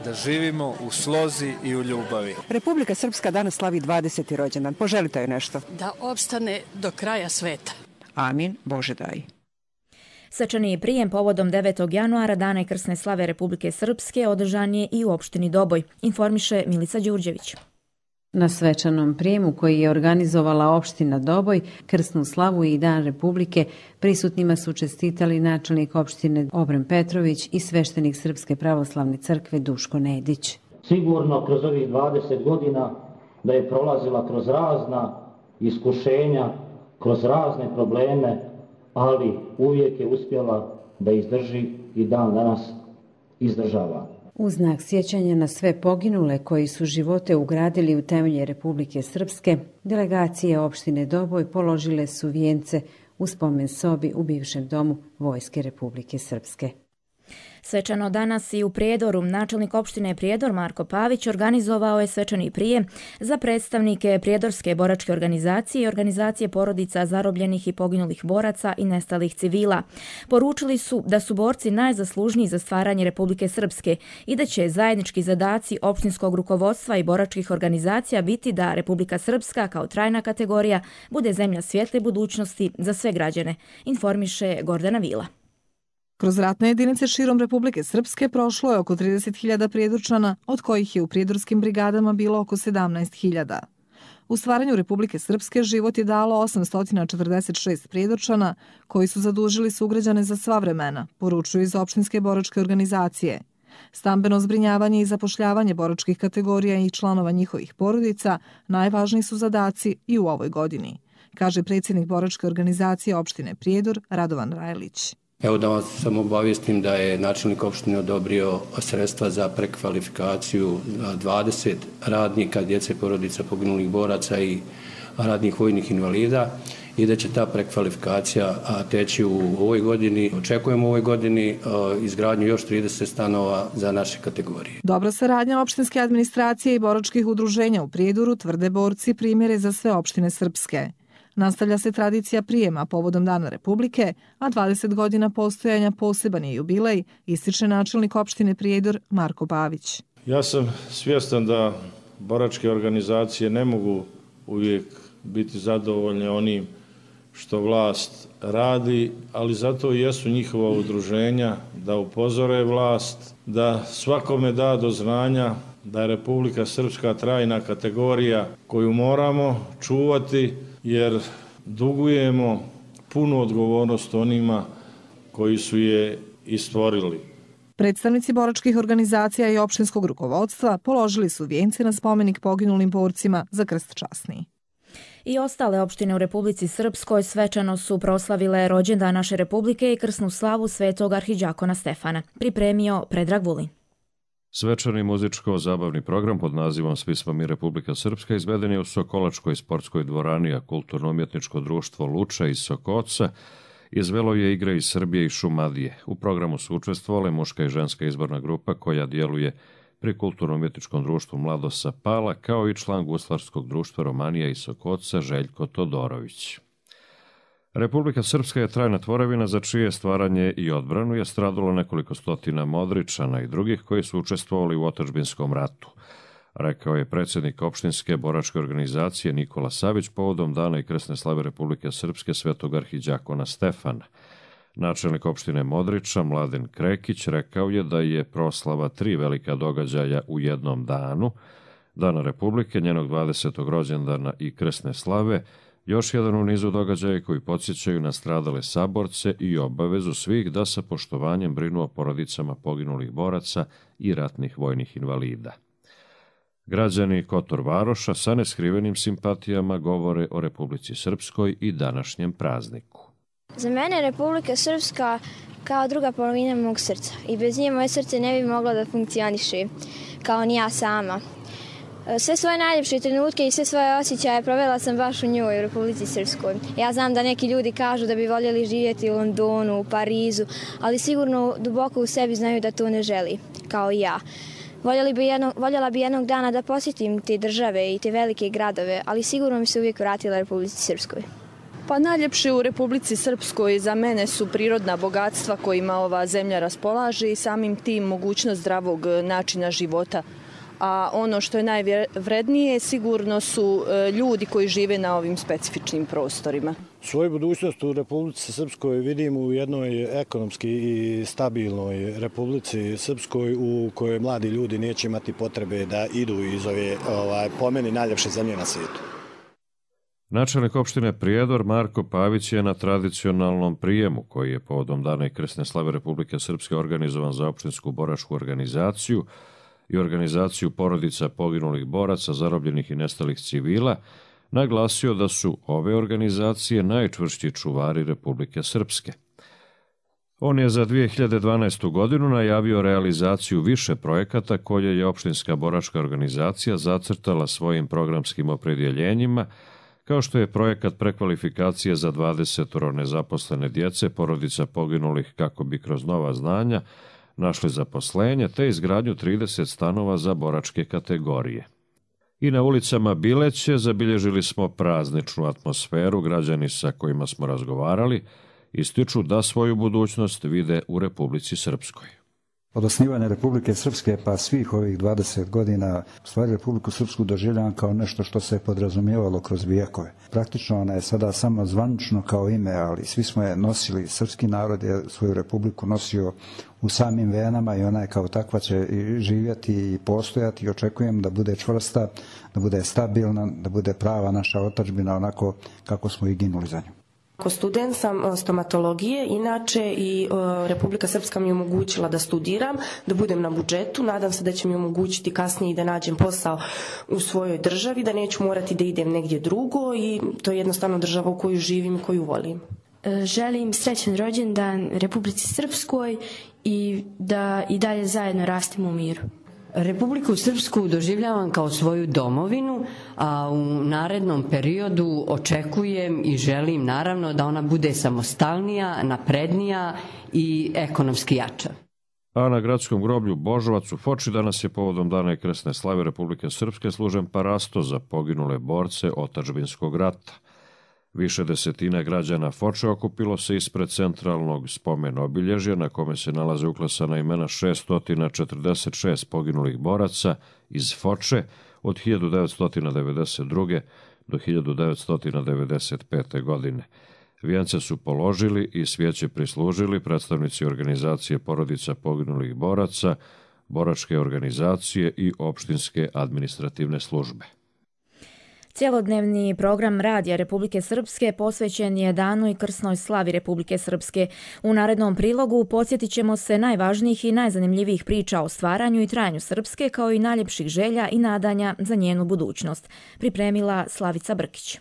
da živimo u slozi i u ljubavi. Republika Srpska danas slavi 20. rođendan. Poželite joj nešto? Da opstane do kraja sveta. Amin, Bože daj. Svečani prijem povodom 9. januara, Dana i krsne slave Republike Srpske, održan je i u opštini Doboj, informiše Milica Đurđević. Na svečanom prijemu koji je organizovala opština Doboj, krsnu slavu i Dan Republike, prisutnima su čestitali načelnik opštine Obren Petrović i sveštenik Srpske pravoslavne crkve Duško Nedić. Sigurno kroz ovih 20 godina da je prolazila kroz razna iskušenja, kroz razne probleme, ali uvijek je uspjela da izdrži i dan danas izdržava. U znak sjećanja na sve poginule koji su živote ugradili u temelje Republike Srpske, delegacije opštine Doboj položile su vijence u spomen sobi u bivšem domu Vojske Republike Srpske. Svečano danas i u Prijedoru načelnik opštine Prijedor Marko Pavić organizovao je svečani prijem za predstavnike Prijedorske boračke organizacije i organizacije porodica zarobljenih i poginulih boraca i nestalih civila. Poručili su da su borci najzaslužniji za stvaranje Republike Srpske i da će zajednički zadaci opštinskog rukovodstva i boračkih organizacija biti da Republika Srpska kao trajna kategorija bude zemlja svijetle budućnosti za sve građane, informiše Gordana Vila. Kroz ratne jedinice širom Republike Srpske prošlo je oko 30.000 prijedorčana, od kojih je u prijedorskim brigadama bilo oko 17.000. U stvaranju Republike Srpske život je dalo 846 prijedorčana, koji su zadužili sugrađane za sva vremena, poručuju iz opštinske boračke organizacije. Stambeno zbrinjavanje i zapošljavanje boračkih kategorija i članova njihovih porodica najvažniji su zadaci i u ovoj godini, kaže predsjednik boračke organizacije opštine Prijedor Radovan Rajlić. Evo da vas samo obavijestim da je načelnik opštine odobrio sredstva za prekvalifikaciju 20 radnika, djece, porodica poginulih boraca i radnih vojnih invalida i da će ta prekvalifikacija teći u ovoj godini. Očekujemo u ovoj godini izgradnju još 30 stanova za naše kategorije. Dobra saradnja opštinske administracije i boračkih udruženja u Prijedoru, tvrde borci, primjere za sve opštine Srpske. Nastavlja se tradicija prijema povodom Dana Republike, a 20 godina postojanja poseban je jubilej, ističe načelnik opštine Prijedor Marko Pavić. Ja sam svjestan da boračke organizacije ne mogu uvijek biti zadovoljne onim što vlast radi, ali zato i jesu njihova udruženja da upozore vlast, da svakome da do znanja da je Republika Srpska trajna kategorija koju moramo čuvati, jer dugujemo punu odgovornost onima koji su je i stvorili. Predstavnici boračkih organizacija i opštinskog rukovodstva položili su vijence na spomenik poginulim borcima za krst časni. I ostale opštine u Republici Srpskoj svečano su proslavile rođendan naše Republike i krsnu slavu svetog arhidžakona Stefana. Pripremio Predrag Vulin. Svečani muzičko-zabavni program pod nazivom Svi smo mi Republika Srpska izveden je u Sokolačkoj sportskoj dvorani, a kulturno-umjetničko društvo Luča iz Sokoca izvelo je igre iz Srbije i Šumadije. U programu su učestvovale muška i ženska izborna grupa koja djeluje pri kulturno-umjetničkom društvu Mladosa Pala, kao i član guslarskog društva Romanija iz Sokoca Željko Todorović. Republika Srpska je trajna tvorevina za čije stvaranje i odbranu je stradalo nekoliko stotina Modričana i drugih koji su učestvovali u otadžbinskom ratu, rekao je predsjednik opštinske boračke organizacije Nikola Savić povodom Dana i krsne slave Republike Srpske svetog arhidžakona Stefana. Načelnik opštine Modriča Mladen Krekić rekao je da je proslava 3 velika događaja u jednom danu, Dana Republike, njenog 20. rođendana i krsne slave, još jedan u nizu događaja koji podsjećaju na stradale saborce i obavezu svih da sa poštovanjem brinu o porodicama poginulih boraca i ratnih vojnih invalida. Građani Kotor Varoša sa neskrivenim simpatijama govore o Republici Srpskoj i današnjem prazniku. Za mene Republika Srpska kao druga polovina mog srca i bez nje moje srce ne bi moglo da funkcioniše kao ni ja sama. Sve svoje najljepše trenutke i sve svoje osjećaje provela sam baš u njoj, u Republici Srpskoj. Ja znam da neki ljudi kažu da bi voljeli živjeti u Londonu, u Parizu, ali sigurno duboko u sebi znaju da to ne želi, kao i ja. Voljela bi jednog dana da posjetim te države i te velike gradove, ali sigurno mi se uvijek vratila Republici Srpskoj. Pa najljepše u Republici Srpskoj za mene su prirodna bogatstva kojima ova zemlja raspolaže i samim tim mogućnost zdravog načina života. A ono što je najvrednije sigurno su ljudi koji žive na ovim specifičnim prostorima. Svoju budućnost u Republici Srpskoj vidim u jednoj ekonomski i stabilnoj Republici Srpskoj u kojoj mladi ljudi neće imati potrebe da idu iz ove po meni najljepše zemlje na svijetu. Načelnik opštine Prijedor Marko Pavić je na tradicionalnom prijemu koji je povodom Dana i krsne slave Republike Srpske organizovan za opštinsku boračku organizaciju i organizaciju porodica poginulih boraca, zarobljenih i nestalih civila, naglasio da su ove organizacije najčvršći čuvari Republike Srpske. On je za 2012. godinu najavio realizaciju više projekata koje je opštinska boračka organizacija zacrtala svojim programskim opredjeljenjima, kao što je projekat prekvalifikacije za 20 nezaposlene djece, porodica poginulih kako bi kroz nova znanja našli zaposlenje, te izgradnju 30 stanova za boračke kategorije. I na ulicama Bileće zabilježili smo prazničnu atmosferu. Građani sa kojima smo razgovarali ističu da svoju budućnost vide u Republici Srpskoj. Od osnivanja Republike Srpske pa svih ovih 20 godina u stvari Republiku Srpsku doživljavam kao nešto što se podrazumijevalo kroz vijekove. Praktično ona je sada samo zvanično kao ime, ali svi smo je nosili, srpski narod je svoju republiku nosio u samim venama i ona je kao takva će živjeti i postojati i očekujem da bude čvrsta, da bude stabilna, da bude prava naša otadžbina onako kako smo i ginuli za nju. Ako student sam stomatologije, inače i Republika Srpska mi je omogućila da studiram, da budem na budžetu, nadam se da će mi omogućiti kasnije i da nađem posao u svojoj državi, da neću morati da idem negdje drugo i to je jednostavno država u koju živim i koju volim. Želim srećan rođendan Republici Srpskoj i da i dalje zajedno rastemo u miru. Republiku Srpsku doživljavam kao svoju domovinu, a u narednom periodu očekujem i želim naravno da ona bude samostalnija, naprednija i ekonomski jača. A na gradskom groblju Božovac u Foči danas je povodom Dana i krsne slave Republike Srpske služen parasto za poginule borce otadžbinskog rata. Više desetina građana Foče okupilo se ispred centralnog spomen obilježja na kome se nalaze uklesana imena 646 poginulih boraca iz Foče od 1992. do 1995. godine. Vijence su položili i svijeće prislužili predstavnici organizacije porodica poginulih boraca, boračke organizacije i opštinske administrativne službe. Cjelodnevni program Radija Republike Srpske posvećen je Danu i krsnoj slavi Republike Srpske. U narednom prilogu podsjetit ćemo se najvažnijih i najzanimljivijih priča o stvaranju i trajanju Srpske, kao i najljepših želja i nadanja za njenu budućnost. Pripremila Slavica Brkić.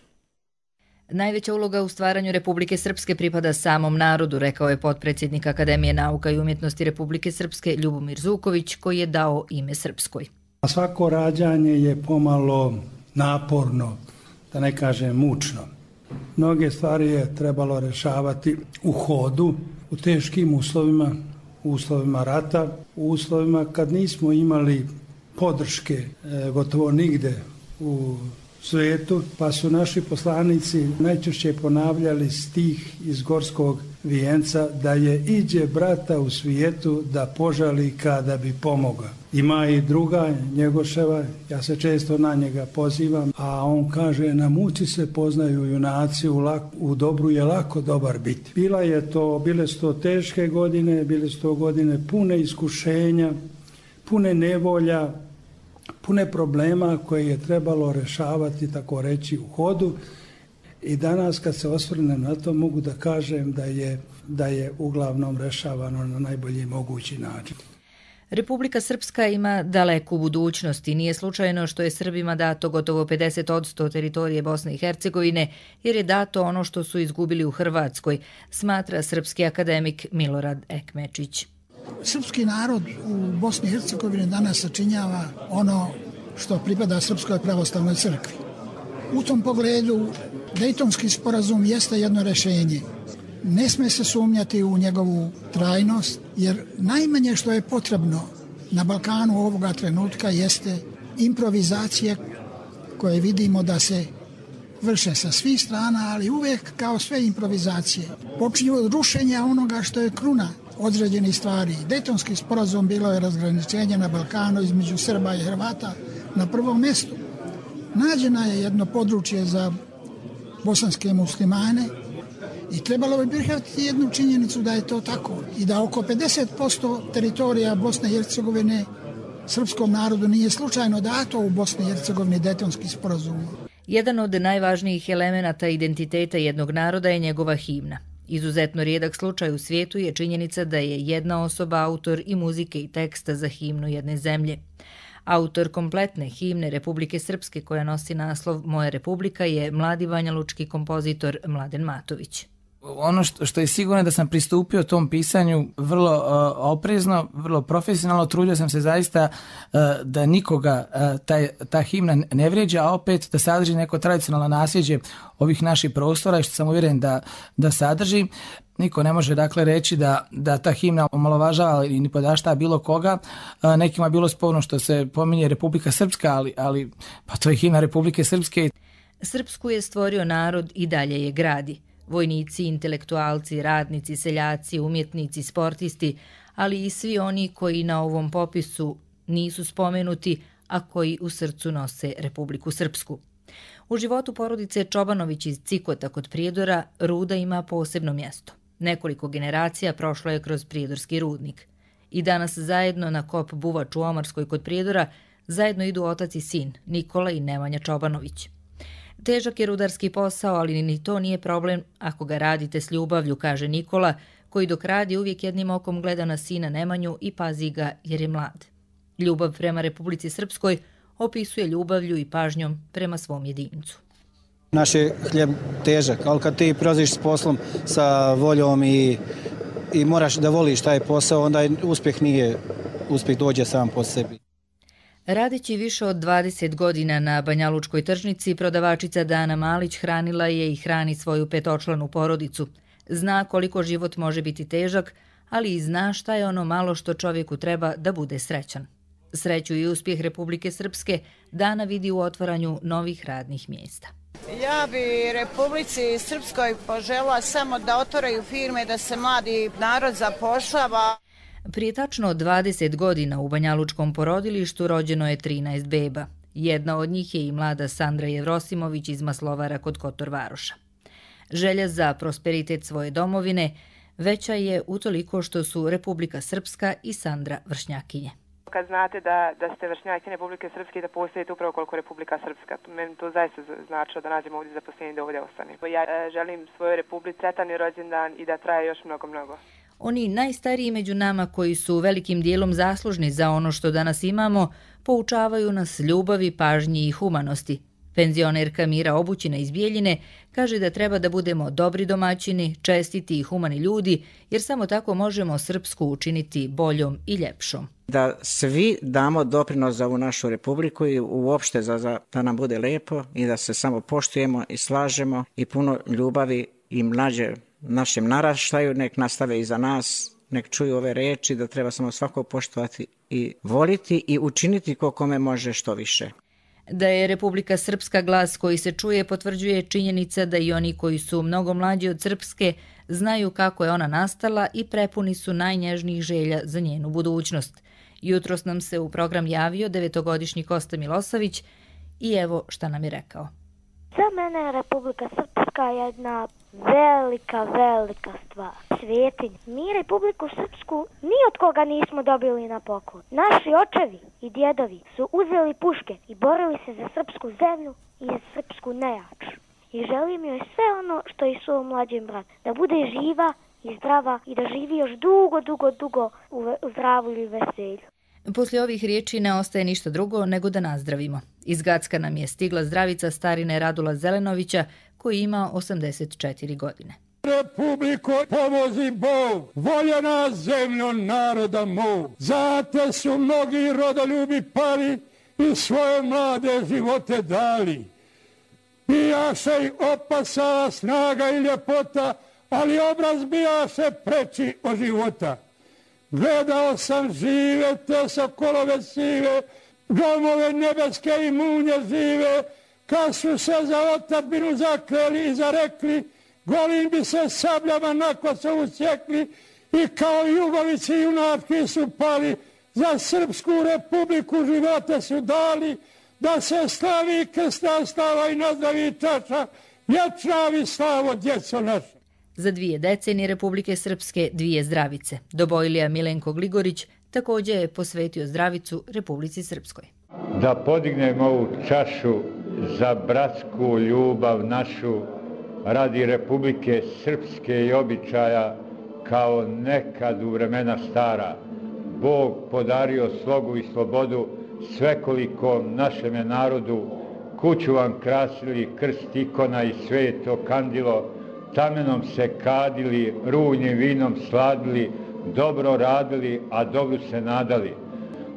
Najveća uloga u stvaranju Republike Srpske pripada samom narodu, rekao je potpredsjednik Akademije nauka i umjetnosti Republike Srpske Ljubomir Zuković, koji je dao ime Srpskoj. Svako rađanje je pomalo naporno, da ne kažem mučno. Mnoge stvari je trebalo rešavati u hodu, u teškim uslovima, u uslovima rata, u uslovima kad nismo imali podrške gotovo nigde u svijetu, pa su naši poslanici najčešće ponavljali stih iz Gorskog vijenca da je iđe brata u svijetu da požali kada bi pomogao. Ima i druga Njegoševa, ja se često na njega pozivam, a on kaže na muci se poznaju junaci, u dobru je lako dobar biti. Bile su to teške godine, bile su to godine pune iskušenja, pune nevolja, pune problema koje je trebalo rešavati, tako reći, u hodu. I danas kad se osvrnem na to mogu da kažem da je uglavnom rešavano na najbolji mogući način. Republika Srpska ima daleku budućnost i nije slučajno što je Srbima dato gotovo 50% teritorije Bosne i Hercegovine, jer je dato ono što su izgubili u Hrvatskoj, smatra srpski akademik Milorad Ekmečić. Srpski narod u Bosni i Hercegovini danas sačinjava ono što pripada Srpskoj pravoslavnoj crkvi. U tom pogledu Dejtonski sporazum jeste jedno rešenje. Ne sme se sumnjati u njegovu trajnost, jer najmanje što je potrebno na Balkanu ovoga trenutka jeste improvizacije koje vidimo da se vrše sa svih strana, ali uvijek kao sve improvizacije. Počinju od rušenja onoga što je kruna određenih stvari. Dejtonski sporazum bilo je razgraničenje na Balkanu između Srba i Hrvata na prvom mjestu. Nađena je jedno područje za bosanske muslimane i trebalo bi prihvatiti jednu činjenicu da je to tako i da oko 50% teritorija Bosne i Hercegovine srpskom narodu nije slučajno dato u Bosni i Hercegovini Dejtonski sporazum. Jedan od najvažnijih elemenata identiteta jednog naroda je njegova himna. Izuzetno rijedak slučaj u svijetu je činjenica da je jedna osoba autor i muzike i teksta za himnu jedne zemlje. Autor kompletne himne Republike Srpske koja nosi naslov Moja Republika je mladi banjalučki kompozitor Mladen Matović. Ono što je sigurno da sam pristupio tom pisanju vrlo oprezno, vrlo profesionalno, trudio sam se zaista da nikoga ta himna ne vrijeđa, a opet da sadrži neko tradicionalno nasljeđe ovih naših prostora i što sam uvjeren da sadrži. Niko ne može dakle reći da ta himna omalovažava ili ni podašta bilo koga. Nekima je bilo sporno što se pominje Republika Srpska, ali pa to je himna Republike Srpske. Srpsku je stvorio narod i dalje je gradi. Vojnici, intelektualci, radnici, seljaci, umjetnici, sportisti, ali i svi oni koji na ovom popisu nisu spomenuti, a koji u srcu nose Republiku Srpsku. U životu porodice Čobanović iz Cikota kod Prijedora ruda ima posebno mjesto. Nekoliko generacija prošlo je kroz prijedorski rudnik. I danas zajedno na kop Buvač u Omarskoj kod Prijedora zajedno idu otac i sin, Nikola i Nemanja Čobanović. Težak je rudarski posao, ali ni to nije problem ako ga radite s ljubavlju, kaže Nikola, koji dok radi uvijek jednim okom gleda na sina Nemanju i pazi ga jer je mlad. Ljubav prema Republici Srpskoj opisuje ljubavlju i pažnjom prema svom jedincu. Naš je hljeb težak, ali kad ti prolaziš s poslom sa voljom i moraš da voliš taj posao, onda uspjeh dođe sam po sebi. Radeći više od 20 godina na Banjalučkoj tržnici, prodavačica Dana Malić hranila je i hrani svoju petočlanu porodicu. Zna koliko život može biti težak, ali i zna šta je ono malo što čovjeku treba da bude srećan. Sreću i uspjeh Republike Srpske Dana vidi u otvaranju novih radnih mjesta. Ja bi Republici Srpskoj požela samo da otvaraju firme, da se mladi narod zapošljava. Prije tačno 20 godina u Banjalučkom porodilištu rođeno je 13 beba. Jedna od njih je i mlada Sandra Jevrosimović iz Maslovara kod Kotor Varoša. Želja za prosperitet svoje domovine veća je utoliko što su Republika Srpska i Sandra vršnjakinje. Kad znate da ste vršnjakinje Republike Srpske i da postojite upravo koliko Republika Srpska, meni to zaista značilo da nađemo ovdje zaposlenje da ovdje ostane. Ja želim svojoj Republici sretan rođendan i da traje još mnogo. Oni najstariji među nama koji su velikim dijelom zaslužni za ono što danas imamo, poučavaju nas ljubavi, pažnji i humanosti. Penzionerka Mira Obućina iz Bijeljine kaže da treba da budemo dobri domaćini, čestiti i humani ljudi, jer samo tako možemo Srpsku učiniti boljom i ljepšom. Da svi damo doprinos za ovu našu republiku i uopšte da nam bude lepo i da se samo poštujemo i slažemo i puno ljubavi i mlađe našem naraštaju, nek nastave iza nas, nek čuju ove reči da treba samo svako poštovati i voliti i učiniti kome može što više. Da je Republika Srpska glas koji se čuje potvrđuje činjenica da i oni koji su mnogo mlađi od Srpske znaju kako je ona nastala i prepuni su najnježnijih želja za njenu budućnost. Jutros nam se u program javio 9-godišnji Kosta Milosavić i evo šta nam je rekao. Za mene je Republika Srpska jedna velika stvar. Svetinja. Mi Republiku Srpsku ni od koga nismo dobili na poklon. Naši očevi i djedovi su uzeli puške i borili se za srpsku zemlju i za srpsku nejač. I želim joj sve ono što i svom mlađem bratu. Da bude živa i zdrava i da živi još dugo u zdravu i veselju. Poslije ovih riječi ne ostaje ništa drugo nego da nazdravimo. Iz Gacka nam je stigla zdravica starine Radula Zelenovića koji ima 84 godine. Republiko, pomozi Bog, voljena zemljo naroda mog. Zate su mnogi rodoljubi pali i svoje mlade živote dali. Bijaše i opasala snaga i ljepota, ali obraz bijaše preči od života. gledao sam žive te sokolove sive, gromove nebeske i munje žive, kad su se za otadžbinu zakleli i zarekli, golim bi se sabljama na Kosovu sjekli i kao jugovici junački su pali, za Srpsku republiku živote su dali, da se slavi krsta stava i nazdravi čaša, vječnavi slavo djeco naša. Za 2 decenije Republike Srpske 2 zdravice. Dobojlija Milenko Gligorić također je posvetio zdravicu Republici Srpskoj. Da podignemo ovu čašu za bratsku ljubav našu radi Republike Srpske i običaja kao nekad u vremena stara. Bog podario slogu i slobodu svekolikom našeme narodu, kuću vam krasili krst, ikona i sveto kandilo, tamenom se kadili, rujnim vinom sladili, dobro radili, a dobru se nadali.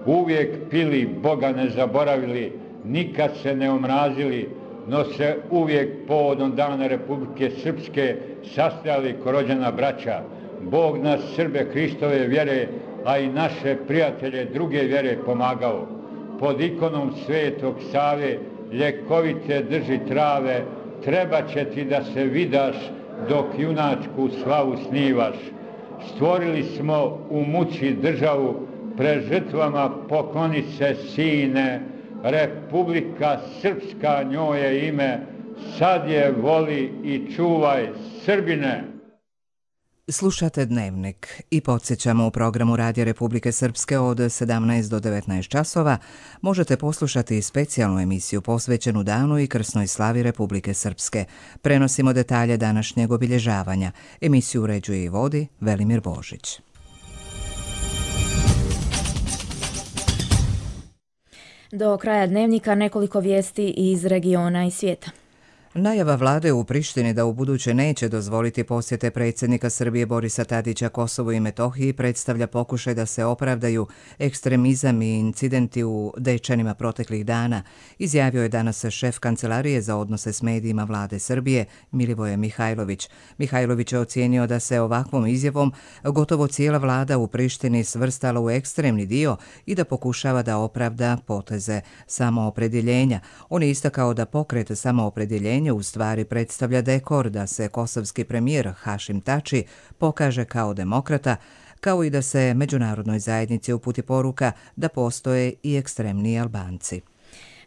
Uvijek pili, Boga ne zaboravili, nikad se ne omrazili, no se uvijek povodom dana Republike Srpske sastajali ko rođena braća. Bog nas Srbe Hristove vjere, a i naše prijatelje druge vjere pomagao. Pod ikonom Svetog Save ljekovite drži trave, treba će ti da se vidaš dok junačku slavu snivaš. Stvorili smo u muci državu, pred žrtvama pokloni se sine, Republika Srpska njoj je ime, sad je voli i čuvaj Srbine. Slušate Dnevnik i podsjećamo, u programu Radija Republike Srpske od 17 do 19 časova možete poslušati specijalnu emisiju posvećenu danu i krsnoj slavi Republike Srpske. Prenosimo detalje današnjeg obilježavanja. Emisiju uređuje i vodi Velimir Božić. Do kraja Dnevnika nekoliko vijesti iz regiona i svijeta. Najava vlade u Prištini da ubuduće neće dozvoliti posjete predsjednika Srbije Borisa Tadića Kosovu i Metohiji predstavlja pokušaj da se opravdaju ekstremizam i incidenti u Dečanima proteklih dana, izjavio je danas šef Kancelarije za odnose s medijima vlade Srbije Milivoje Mihajlović. Mihajlović je ocijenio da se ovakvom izjavom gotovo cijela vlada u Prištini svrstala u ekstremni dio i da pokušava da opravda poteze samoopredjeljenja. On je istakao da pokret samoopredjeljenja u stvari predstavlja dekor da se kosovski premijer Hašim Tači pokaže kao demokrata, kao i da se međunarodnoj zajednici uputi poruka da postoje i ekstremni Albanci.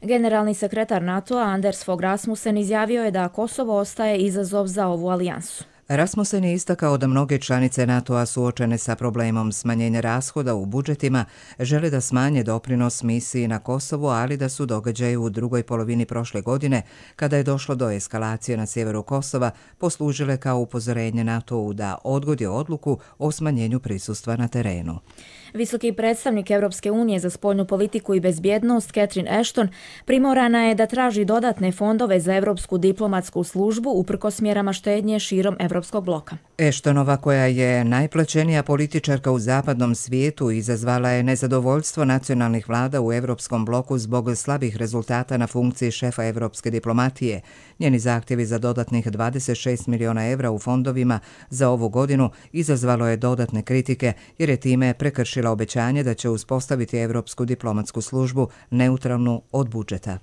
Generalni sekretar NATO-a Anders Fogh Rasmussen izjavio je da Kosovo ostaje izazov za ovu alijansu. Rasmussen je istakao da mnoge članice NATO-a suočene sa problemom smanjenja rashoda u budžetima žele da smanje doprinos misiji na Kosovu, ali da su događaji u drugoj polovini prošle godine, kada je došlo do eskalacije na sjeveru Kosova, poslužile kao upozorenje NATO-u da odgodi odluku o smanjenju prisustva na terenu. Visoki predstavnik Europske unije za spoljnu politiku i bezbjednost Catherine Ashton primorana je da traži dodatne fondove za Europsku diplomatsku službu uprkos mjerama štednje širom Europskog bloka. Ashtonova, koja je najplaćenija političarka u zapadnom svijetu, izazvala je nezadovoljstvo nacionalnih vlada u Europskom bloku zbog slabih rezultata na funkciji šefa europske diplomatije. Njeni zahtjevi za dodatnih 26 miliona evra u fondovima za ovu godinu izazvalo je dodatne kritike jer je time prekršila obećanje da će uspostaviti Europsku diplomatsku službu neutralnu od budžeta.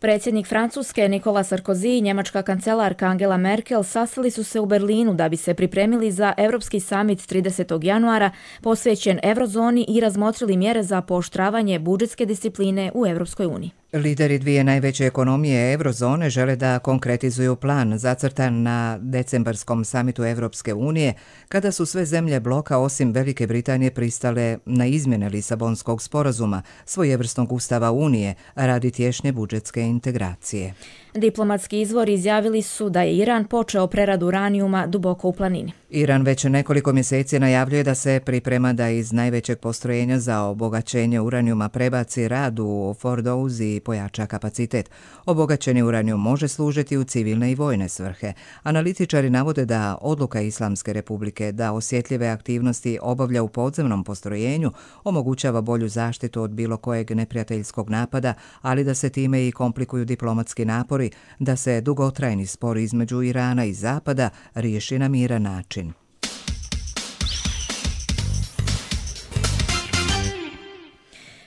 Predsjednik Francuske Nicolas Sarkozy i njemačka kancelarka Angela Merkel sastali su se u Berlinu da bi se pripremili za Europski samit 30. januara posvećen eurozoni i razmotrili mjere za pooštravanje budžetske discipline u Europskoj uniji. Lideri dvije najveće ekonomije eurozone žele da konkretizuju plan zacrtan na decembarskom samitu Europske unije, kada su sve zemlje bloka osim Velike Britanije pristale na izmjene Lisabonskog sporazuma, svojevrsnog ustava Unije, radi tješnje budžetske integracije. Diplomatski izvori izjavili su da je Iran počeo preradu uranijuma duboko u planini. Iran već nekoliko mjeseci najavljuje da se priprema da iz najvećeg postrojenja za obogaćenje uranijuma prebaci rad u Fordouz i pojača kapacitet. Obogaćeni uranijum može služiti u civilne i vojne svrhe. Analitičari navode da odluka Islamske republike da osjetljive aktivnosti obavlja u podzemnom postrojenju omogućava bolju zaštitu od bilo kojeg neprijateljskog napada, ali da se time i komplikuju diplomatski napori da se dugotrajni spor između Irana i Zapada riješi na miran način.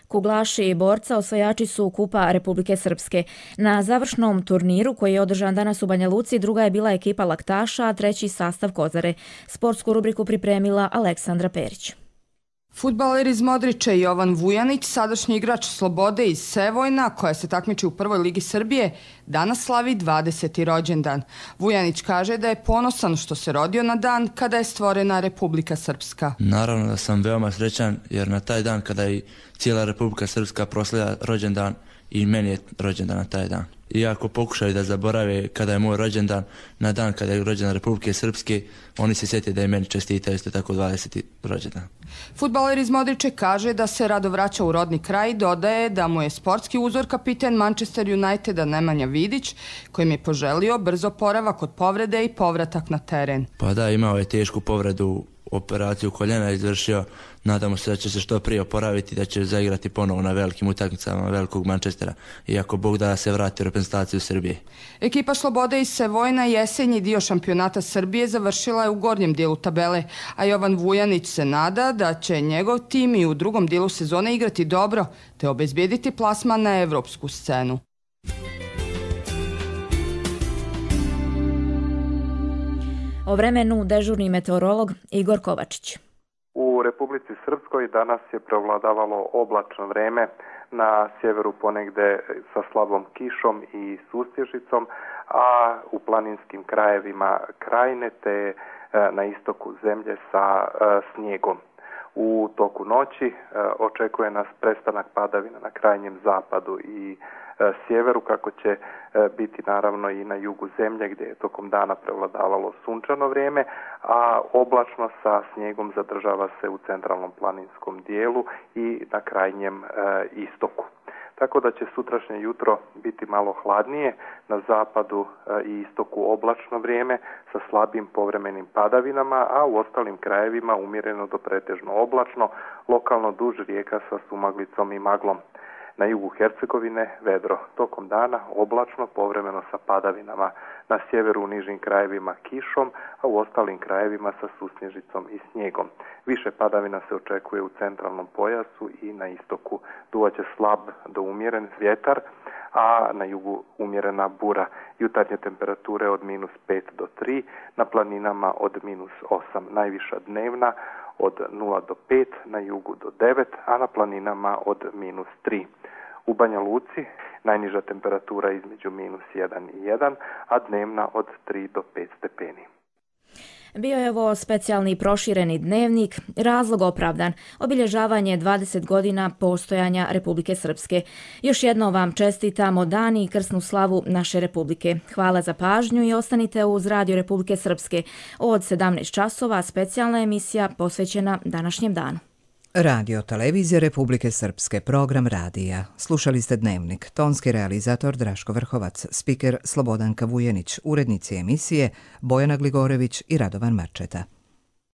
Kuglaši i borca osvajači su Kupa Republike Srpske. Na završnom turniru koji je održan danas u Banja Luci, druga je bila ekipa Laktaša, a treći sastav Kozare. Sportsku rubriku pripremila Aleksandra Perić. Fudbaler iz Modrića Jovan Vujanić, sadašnji igrač Slobode iz Sevojna, koja se takmiči u prvoj ligi Srbije, danas slavi 20. rođendan. Vujanić kaže da je ponosan što se rodio na dan kada je stvorena Republika Srpska. Naravno da sam veoma srećan jer na taj dan kada je cijela Republika Srpska proslavlja rođendan i meni je rođendan na taj dan. Iako pokušaju da zaborave kada je moj rođendan, na dan kada je rođendan Republike Srpske, oni se sjete da je meni čestita isto tako 20. rođendan. Fudbaler iz Modriče kaže da se rado vraća u rodni kraj i dodaje da mu je sportski uzor kapiten Manchester Uniteda Nemanja Vidić, kojim je poželio brzo oporavak od povrede i povratak na teren. Pa da, imao je tešku povredu, operaciju koljena izvršio. Nadamo se da će se što prije oporaviti, da će zaigrati ponovo na velikim utakmicama velikog Manchestera, iako Bog da se vrati u reprezentaciju Srbije. Ekipa Slobode iz Sevojna jesenji dio šampionata Srbije završila je u gornjem dijelu tabele, a Jovan Vujanić se nada da će njegov tim i u drugom dijelu sezone igrati dobro, te obezbijediti plasman na evropsku scenu. O vremenu dežurni meteorolog Igor Kovačić. U Republici Srpskoj danas je prevladavalo oblačno vreme, na sjeveru ponegde sa slabom kišom i sustježicom, a u planinskim krajevima Krajine te na istoku zemlje sa snijegom. U toku noći očekuje nas prestanak padavina na krajnjem zapadu i sjeveru, kako će biti naravno i na jugu zemlje gdje je tokom dana prevladavalo sunčano vrijeme, a oblačno sa snijegom zadržava se u centralnom planinskom dijelu i na krajnjem istoku. Tako da će sutrašnje jutro biti malo hladnije, na zapadu i istoku oblačno vrijeme sa slabim povremenim padavinama, a u ostalim krajevima umjereno do pretežno oblačno, lokalno duž rijeka sa sumaglicom i maglom. Na jugu Hercegovine vedro, tokom dana oblačno, povremeno sa padavinama, na sjeveru u nižim krajevima kišom, a u ostalim krajevima sa susnježicom i snijegom. Više padavina se očekuje u centralnom pojasu i na istoku. Duvaće slab do umjeren vjetar, a na jugu umjerena bura. Jutarnje temperature od -5 do 3, na planinama od -8, najviša dnevna od 0 do 5, na jugu do 9, a na planinama od -3. U Banja Luci najniža temperatura između -1 i 1, a dnevna od 3 do 5 stepeni. Bio je ovo specijalni prošireni dnevnik, razlog opravdan, obilježavanje 20 godina postojanja Republike Srpske. Još jednom vam čestitamo dan i krsnu slavu naše Republike. Hvala za pažnju i ostanite uz Radio Republike Srpske. Od 17 časova specijalna emisija posvećena današnjem danu. Radio Televizija Republike Srpske, program radija. Slušali ste Dnevnik, tonski realizator Draško Vrhovac, spiker Slobodanka Vujanić, urednici emisije Bojana Gligorević i Radovan Marčeta.